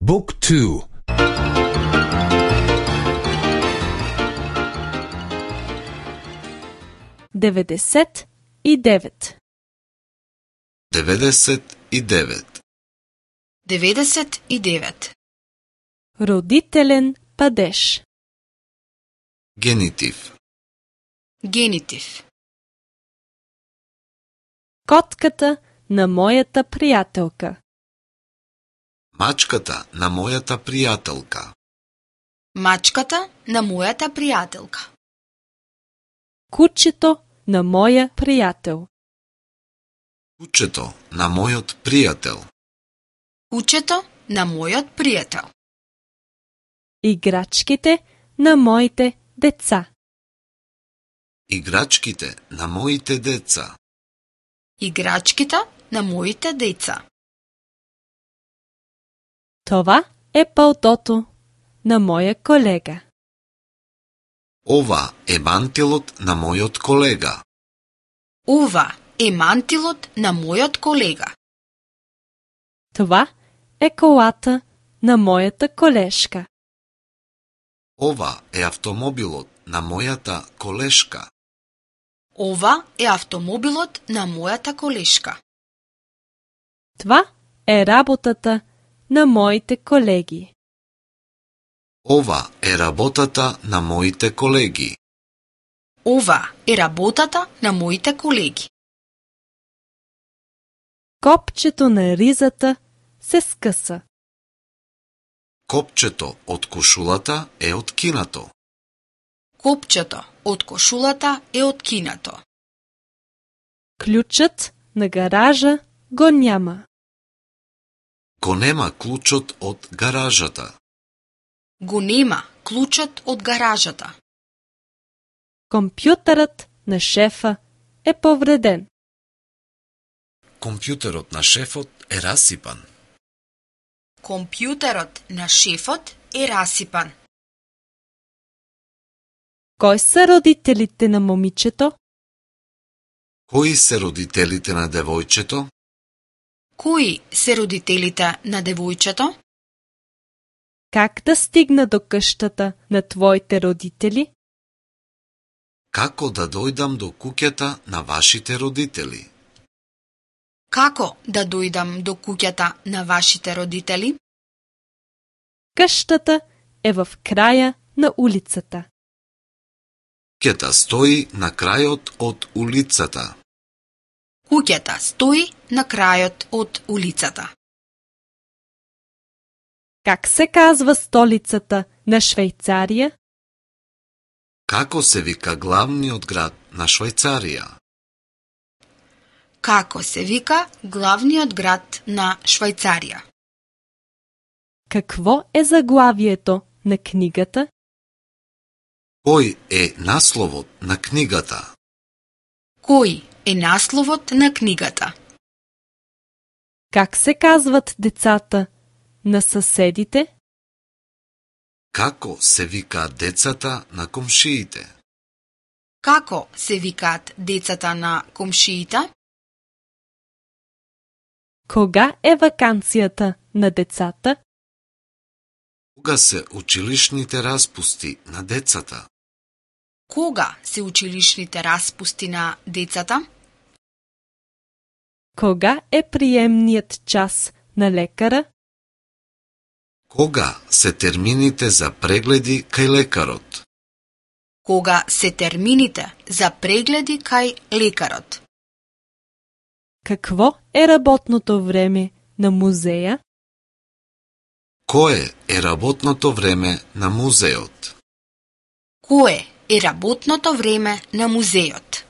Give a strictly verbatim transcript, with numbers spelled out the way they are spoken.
Book two. деветдесет и девет. деветдесет и девет. деветдесет и девет. Родителен падеж. Генитив. Генитив. Котката на мојата пријателка. Мачката на мојата пријателка. Мачката на мојата пријателка. Кучето на моја пријател. Кучето на мојот пријател. Кучето на мојот пријател. Играчките на моите деца. Играчките на моите деца. Играчките на моите деца. Това е палтото на моја колега. Ова е мантилот на мојот колега. Ова е мантилот на мојот колега. Това е колата на мојата колешка. Ова е автомобилот на мојата колешка. Ова е автомобилот на мојата колешка. Това е работата на моите колеги. Ова е работата на моите колеги. Ова е работата на моите колеги. Копчето на ризата се скъса. Копчето од кошулата е откинато. Копчето од кошулата е откинато. Ключът на гаража го няма. Го нема клучот од гаражата. Го нема клучот од гаражата. Компјутерот на шефа е повреден. Компјутерот на шефот е расипан. Компјутерот на шефот е расипан. Кои се родителите на момичето? Кои се родителите на девојчето? Кои се родителите на девојчето? Как да стигна до къщата на твоите родители? Како да дојдам до куќата на вашите родители? Како да дојдам до куќата на вашите родители? Къщата е в краја на улицата. Куќата стои на крајот од улицата. Куќата стои на крајот од улицата. Как се казва столицата на Швајцарија? Како се вика главниот град на Швајцарија? Како се вика главниот град на Швајцарија? Какво е заглавието на книгата? Кој е насловот на книгата? Кој е насловот на книгата? Как се казват децата на съседите? Како се викаат децата на комшиите? Како се викаат децата на комшиите? Кога е ваканцијата на децата? Кога се училишните распусти на децата? Кога се училишните распусти на децата? Кога е приемниот час на лекара? Кога се термините за прегледи кај лекарот? Кога се термините за прегледи кај лекарот? Какво е работното време на музеја? Кое е работното време на музеот? Кое е работното време на музеот?